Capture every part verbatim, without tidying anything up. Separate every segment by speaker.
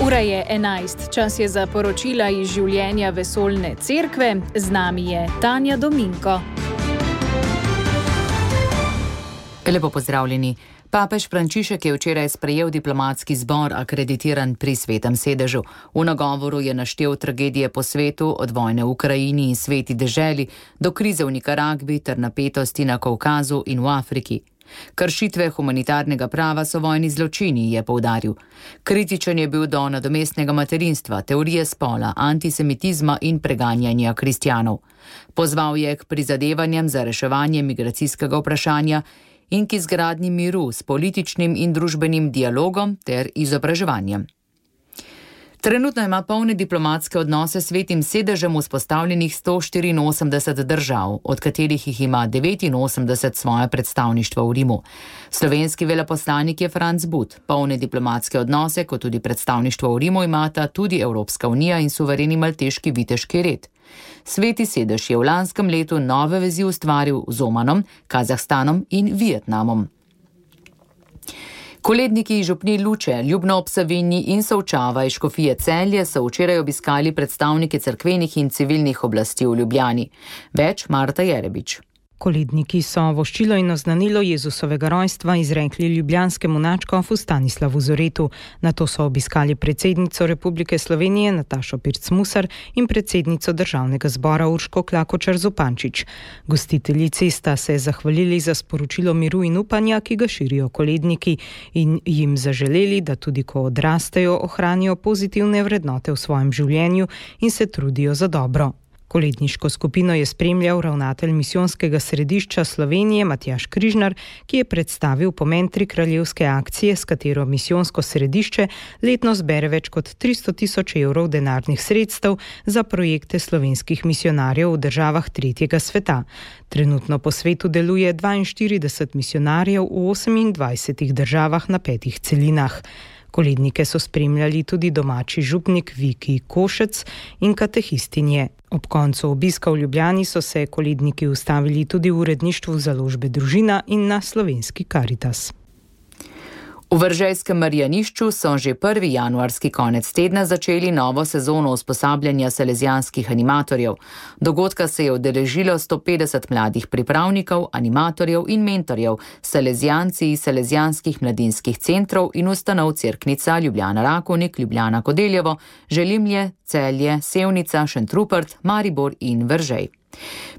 Speaker 1: Ura je enajst, čas je za poročila iz življenja vesoljne cerkve, z nami je Tanja Dominko.
Speaker 2: Lepo pozdravljeni. Papež Frančišek je včeraj sprejel diplomatski zbor akreditiran pri Svetem sedežu. V nagovoru je naštel tragedije po svetu, od vojne v Ukrajini in sveti deželi do krize v Nikaragvi ter napetosti na Kavkazu in v Afriki. Kršitve humanitarnega prava so vojni zločini, je poudaril. Kritičen je bil do nadomestnega materinstva, teorije spola, antisemitizma in preganjanja kristjanov. Pozval je k prizadevanjem za reševanje migracijskega vprašanja in k izgradnji miru s političnim in družbenim dialogom ter izobraževanjem. Trenutno ima polne diplomatske odnose s Svetim sedežem vzpostavljenih sto štiriinosemdeset držav, od katerih jih ima devetinosemdeset svoje predstavništvo v Rimu. Slovenski veleposlanik je Franc But. Polne diplomatske odnose, kot tudi predstavništvo v Rimu, imata tudi Evropska unija in suvereni malteški viteški red. Sveti sedež je v lanskem letu nove vezi ustvaril z Omanom, Kazahstanom in Vietnamom. Koledniki iz župnij Luče, Ljubno ob Savinji in Solčava iz škofije Celje so včeraj obiskali predstavnike cerkvenih in civilnih oblasti v Ljubljani. Več Marta Jerebič.
Speaker 3: Koledniki so voščilo in oznanilo Jezusovega rojstva izrekli ljubljanskemu nadškofu Stanislavu Zoretu. Nato so obiskali predsednico Republike Slovenije Natašo Pirc-Musar in predsednico Državnega zbora Urško Klakočar Zupančič. Gostiteljici sta se zahvalili za sporočilo miru in upanja, ki ga širijo koledniki, in jim zaželeli, da tudi ko odrastejo, ohranijo pozitivne vrednote v svojem življenju in se trudijo za dobro. Koledniško skupino je spremljal ravnatelj misijonskega središča Slovenije Matjaž Križnar, ki je predstavil pomen trikraljevske akcije, s katero misijonsko središče letno zbere več kot tristo tisoč evrov denarnih sredstev za projekte slovenskih misijonarjev v državah tretjega sveta. Trenutno po svetu deluje dvainštirideset misijonarjev v osemindvajsetih državah na petih celinah. Kolednike so spremljali tudi domači župnik Viki Košec in katehistinje. Ob koncu obiska v Ljubljani so se koledniki ustavili tudi v uredništvu založbe Družina in na slovenski Karitas.
Speaker 2: V Veržejskem Marjanišču so že prvi januarski konec tedna začeli novo sezono usposabljanja salezijanskih animatorjev. Dogodka se je udeležilo sto petdeset mladih pripravnikov, animatorjev in mentorjev, salezijanci iz salezijanskih mladinskih centrov in ustanov Cerknica, Ljubljana Rakovnik, Ljubljana Kodeljevo, Želimlje, Celje, Sevnica, Šentrupert, Maribor in Veržej.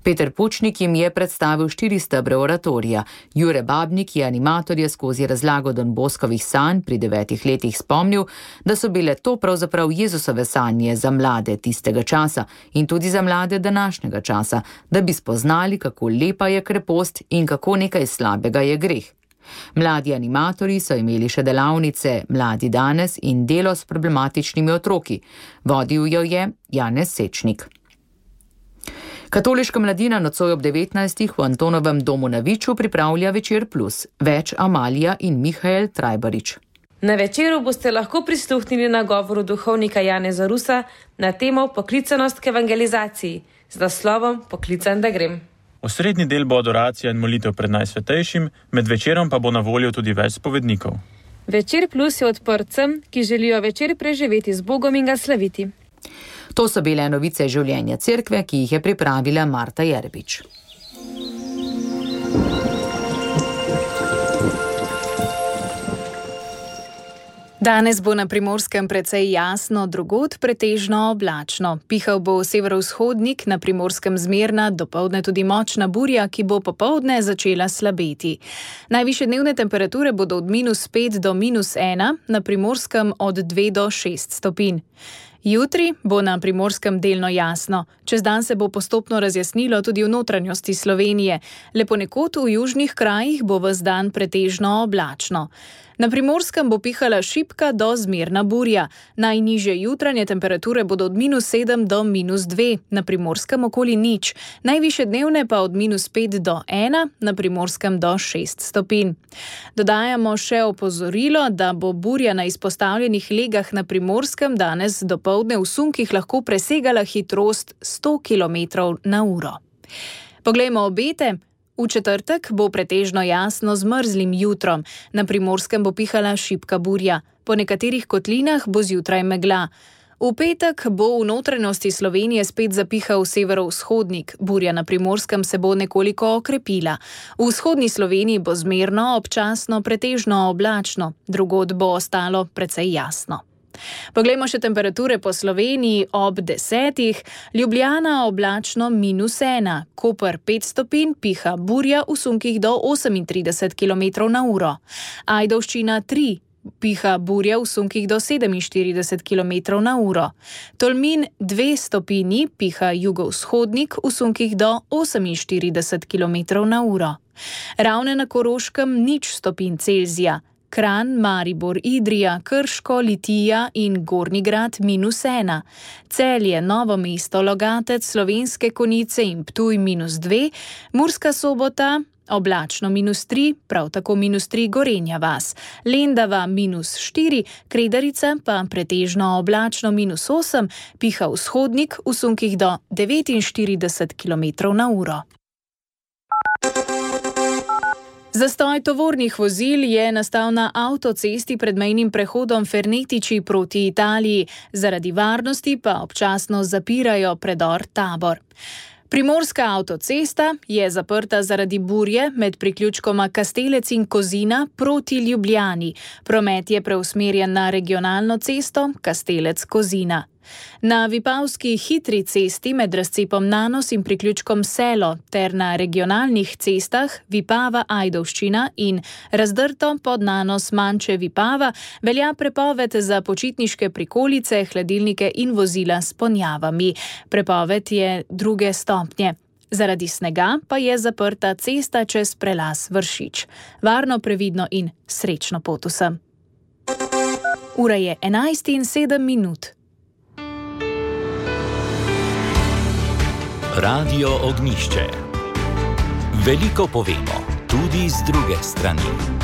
Speaker 2: Peter Pučnik jim je predstavil štiri stebre oratorija. Jure Babnik je animatorje skozi razlago Don Boskovih sanj pri devetih letih spomnil, da so bile to pravzaprav Jezusove sanje za mlade tistega časa in tudi za mlade današnjega časa, da bi spoznali, kako lepa je krepost in kako nekaj slabega je greh. Mladi animatorji so imeli še delavnice Mladi danes in delo s problematičnimi otroki. Vodil jo je Janez Sečnik. Katoliška mladina nocoj ob devetnajstih v Antonovem domu na Viču pripravlja Večer plus. Več Amalija in Mihael Trajbarič.
Speaker 4: Na večeru boste lahko prisluhnili nagovoru duhovnika Janeza Rusa na temo poklicanost k evangelizaciji z naslovom Poklican, da grem.
Speaker 5: Osrednji del bo adoracija in molitev pred Najsvetejšim, med večerom pa bo na voljo tudi več spovednikov.
Speaker 4: Večer plus je odprt vsem, ki želijo večer preživeti z Bogom in ga slaviti.
Speaker 2: To so bile novice življenja cerkve, ki jih je pripravila Marta Jerebič.
Speaker 1: Danes bo na Primorskem precej jasno, drugod pretežno oblačno. Pihal bo severovzhodnik, na Primorskem zmerna, dopoldne tudi močna burja, ki bo popoldne začela slabeti. Najvišje dnevne temperature bodo od minus pet do minus ena, na Primorskem od dve do šest stopinj. Jutri bo na Primorskem delno jasno. Čez dan se bo postopno razjasnilo tudi v notranjosti Slovenije. Le ponekod v južnih krajih bo ves dan pretežno oblačno. Na Primorskem bo pihala šibka do zmerna burja. Najnižje jutranje temperature bodo od minus sedem do minus dve, na Primorskem okoli nič. Najvišje dnevne pa od minus pet do ena, na Primorskem do šest stopinj. Dodajamo še opozorilo, da bo burja na izpostavljenih legah na Primorskem danes dopoldne v sunkih lahko presegala hitrost sto kilometrov na uro. Poglejmo obete. V četrtek bo pretežno jasno z mrzlim jutrom, na Primorskem bo pihala šibka burja, po nekaterih kotlinah bo zjutraj megla. V petek bo v notranjosti Slovenije spet zapihal severovzhodnik, burja na Primorskem se bo nekoliko okrepila. V vzhodni Sloveniji bo zmerno, občasno pretežno oblačno, drugod bo ostalo precej jasno. Poglejmo še temperature po Sloveniji ob desetih. Ljubljana oblačno minus ena, Koper pet stopinj, piha burja v sunkih do osemintrideset kilometrov na uro. Ajdovščina tri, piha burja v sunkih do sedeminštirideset kilometrov na uro. Tolmin dve stopinji, piha jugovzhodnik v sunkih do oseminštirideset kilometrov na uro. Ravne na Koroškem nič stopinj Celzija. Kranj, Maribor, Idrija, Krško, Litija in Gornji Grad minus ena. Celje, Novo mesto, Logatec, Slovenske Konjice in Ptuj minus dve. Murska Sobota oblačno minus tri, prav tako minus tri Gorenja vas. Lendava minus štiri, Kredarica pa pretežno oblačno minus osem, piha vzhodnik v sunkih do devetinštirideset kilometrov na uro. Zastoj tovornih vozil je nastal na avtocesti pred mejnim prehodom Fernetiči proti Italiji, zaradi varnosti pa občasno zapirajo predor Tabor. Primorska avtocesta je zaprta zaradi burje med priključkoma Kastelec in Kozina proti Ljubljani. Promet je preusmerjen na regionalno cesto Kastelec-Kozina. Na Vipavski hitri cesti med razcepom Nanos in priključkom Selo ter na regionalnih cestah Vipava-Ajdovščina in razdrto pod Nanos Manče-Vipava velja prepoved za počitniške prikolice, hladilnike in vozila s ponjavami. Prepoved je druge stopnje. Zaradi snega pa je zaprta cesta čez prelaz Vršič. Varno, previdno in srečno pot vsem. Ura je enajst in sedem minut.
Speaker 6: Radio Ognjišče. Veliko povemo, tudi z druge strani.